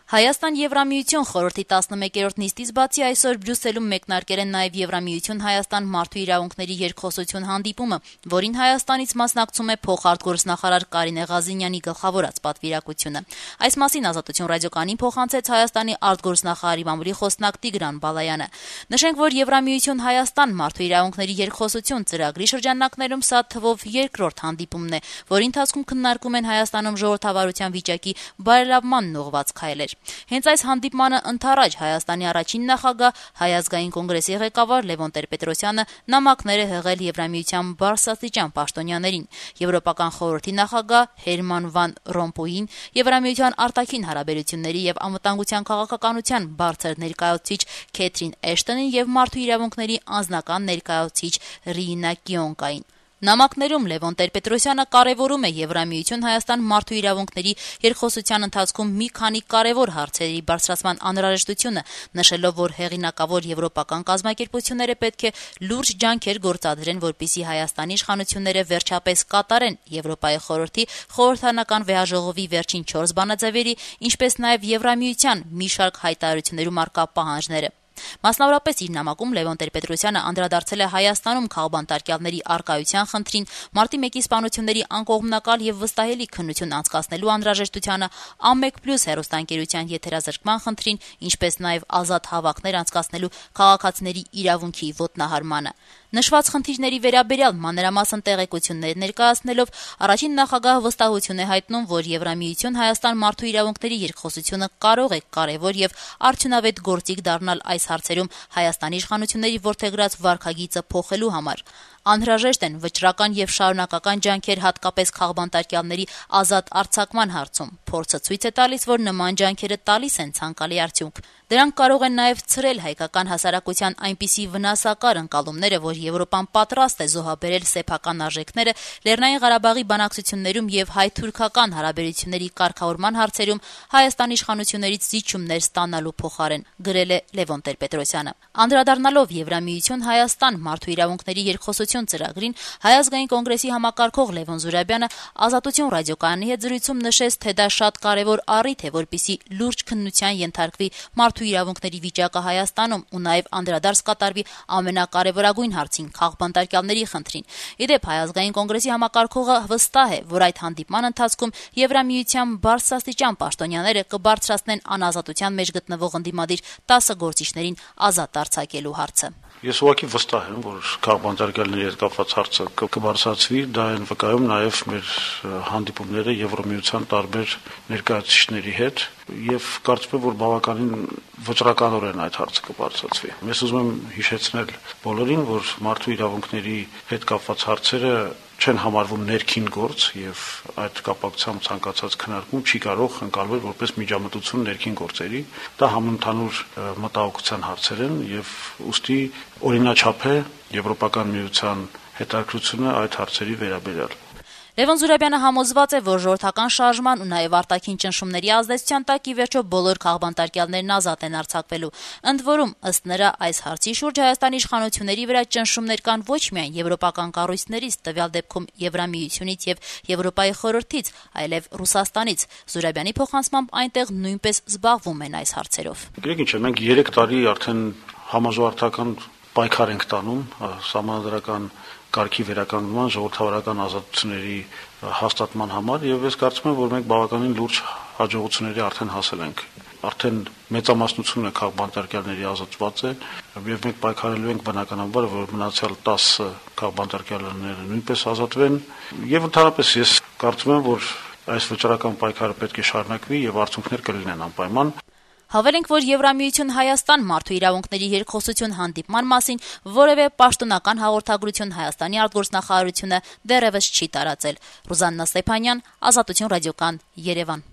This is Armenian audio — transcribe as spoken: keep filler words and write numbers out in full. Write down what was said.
Հայաստան-Եվրամիություն խորհրդի տասնմեկերորդ նիստից բացի այսօր Բրյուսելում մեկնարկել են նաև Եվրամիություն-Հայաստան մարդու իրավունքների երկխոսություն հանդիպումը, որին Հայաստանից մասնակցում է փոխարտգործնախարար Կարինե Ղազինյանի գլխավորած պատվիրակությունը։ Այս մասին Ազատություն ռադիոկայանին փոխանցեց Հայաստանի արտգործնախարարի մամուլի խոսնակ Տիգրան Բալայանը։ Նշենք, որ Եվրամիություն-Հայաստան մարդու իրավունքների երկխոսություն ծրագրի շրջանակներում սա թվով երկրորդ հանդիպումն է, որի ընթացքում քննարկում են Հայաստանում ժողովրդավարության վիճակի բարելավմանն ուղղված քայլեր։ Հենց այս հանդիպմանը ընդառաջ Հայաստանի առաջին նախագահ, Հայ ազգային կոնգրեսի ղեկավար Լևոն Տեր-Պետրոսյանը նամակներ է հղել Եվրամիության բարձրաստիճան պաշտոնյաներին, Եվրոպական խորհրդի նախագահ Հերման վան Ռոմպոյին, Եվրամիության արտաքին հարաբերությունների եւ անվտանգության քաղաքականության բարձր ներկայացուցիչ Քեթրին Էշտոնին եւ մարդու իրավունքների անձնական ներկայացուցիչ Ռիինա Կիոնկային։ Նամակներում Լևոն Տեր-Պետրոսյանը կարևորում է Եվրամիություն-Հայաստան մարդու իրավունքների երկխոսության ընթացքում մի քանի կարևոր հարցերի բարձրացման անհրաժեշտությունը, նշելով, որ հեղինակավոր եվրոպական կազմակերպությունները պետք է լուրջ ջանքեր գործադրեն, որպեսզի Հայաստանի իշխանությունները վերջապես կատարեն Եվրոպայի խորհրդի խորհրդանական վեհաժողովի վերջին չորս բանաձևերի, ինչպես նաև Եվրամիության մի շարք հայտարարություններում առկա պահանջները։ Մասնավորապես իր նամակում Լևոն Տեր-Պետրոսյանը անդրադարձել է Հայաստանում քաղբանտարկյալների առկայության խնդրին, մարտի մեկի սպանությունների անկողմնակալ եւ վստահելի քննություն անցկացնելու անհրաժեշտությանը, Ամեկ Պլյուս հեռուստաընկերության եթերազրկման խնդրին, ինչպես նաեւ ազատ հավաքներ անցկացնելու քաղաքացիների իրավունքի ոտնահարմանը։ Նշված խնդիրների վերաբերյալ մանրամասն տեղեկություններ ներկայացնելով առաջին նախագահը վստահություն է հայտնում, որ Եվրամիություն-Հայաստան մարդու իրավունքների երկխոսությունը կարող է կարևոր եւ արդյունավետ գործիք դառնալ այս հարցերում Հայաստանի իշխանությունների որդեգրած վարքագիծը փոխելու համար։ Անհրաժեշտ են վճռական եւ շարունակական ջանքեր հատկապես քաղբանտարկյալների ազատ արձակման հարցում։ Փորձը ցույց է տալիս, որ նման ջանքերը տալիս են ցանկալի արդյունք։ Դրանք կարող են նաեւ ցրել հայկական հասարակության այնպիսի վնասակար ընկալումները, որ Եվրոպան պատրաստ է զոհաբերել սեփական արժեքները Լեռնային Ղարաբաղի բանակցություններում եւ հայ-թուրքական հարաբերությունների կարգավորման հարցերում Հայաստանի իշխանություններից զիջումներ ստանալու փոխարեն, գրել է Լևոն Տեր-Պետրոսյանը։ Անդրադառնալով Եվրամիություն-Հայաստան մարդու իրավունքների երկխոսություն ծրագրին, Հայ ազգային կոնգրեսի համակարգող Լևոն Զուրաբյանը Ազատություն ռադիոկայանի հետ զրույցում նշեց, թե դա շատ կարևոր առիթ է, որպեսզի լուրջ քննության ենթարկվի մարդու իրավունքների վիճակը Հայաստանում ու նաև անդրադարձ կատարվի ամենակարևորագույն հարցին՝ քաղբանտարկյալների խնդրին։ Ի դեպ, Հայ ազգային կոնգրեսի համակարգողը վստահ է, որ այդ հանդիպման ընթացքում Եվրամիության բարձրաստիճան պաշտոնյաները կբարձրացնեն անազատության մեջ գտնվող ընդդիմադիր տասը գործիչներին ազատ արձակելու հարցը։ Ես ուղղակի վստահ եմ, որ քաղբանտարկյալների հետ կապված հարցը կբարձրացվի, դա են վկայում նաև մեր հանդիպումները Եվրամիության տարբեր ներկայացուցիչների հետ, եւ կարծում եմ, որ բավականին վճռականորեն այդ հարցը կբարձրացվի։ Ես ուզում եմ հիշեցնել բոլորին, որ մարդու իրավունքների հետ կապված հարցերը չեն համարվում ներքին գործ եւ այդ կապակցությամբ ցանկացած քննարկում չի կարող ընկալվել որպես միջամտություն ներքին գործերի։ Դա համընդհանուր մտահոգության հարցեր են եւ ուստի օրինաչափ է Եվրոպական միության հետաքրքրությունը այդ հարցերի վերաբերյալ։ Լևոն Զուրաբյանը համոզված է, որ ժողովրդական շարժման ու նաև արտաքին ճնշումների ազդեցության տակ ի վերջո բոլոր քաղբանտարկյալներն ազատ են արձակվելու։ Ընդ որում, ըստ նրա, այս հարցի շուրջ Հայաստանի իշխանությունների վրա ճնշումներ կան ոչ միայն եվրոպական կառույցներից, տվյալ դեպքում Եվրամիությունից եւ Եվրոպայի խորհրդից, այլև Ռուսաստանից։ Զուրաբյանի փոխանցմամբ այնտեղ նույնպես զբաղվում են այս հարցերով։ Գիտեք ինչ է, մենք երեք տարի արդեն համաժողովրդական պայքար ենք տանում սահմանադրական կարգի վերականգնման, ժողովրդավարական ազատությունների հաստատման համար եւ ես կարծում եմ, որ մենք բավականին լուրջ հաջողությունների արդեն հասել ենք։ Արդեն մեծամասնությունը քաղբանտարկյալների ազատված է եւ մենք պայքարելու ենք բնականաբար, որ մնացյալ տասը քաղբանտարկյալները նույնպես ազատվեն եւ ընդհանրապես ես կարծում եմ, որ այս վճռական պայքարը պետք է շարունակվի եւ արդյունքներ կլինեն անպայման։ Հավելենք, որ Եվրամիություն-Հայաստան մարդու իրավունքների երկխոսություն հանդիպման մասին որևէ պաշտոնական հաղորդագրություն Հայաստանի արտգործնախարարությունը դեռևս չի տարածել։ Ռուզաննա Ստեփանյան, Ազատություն ռադիոկայան, Երևան։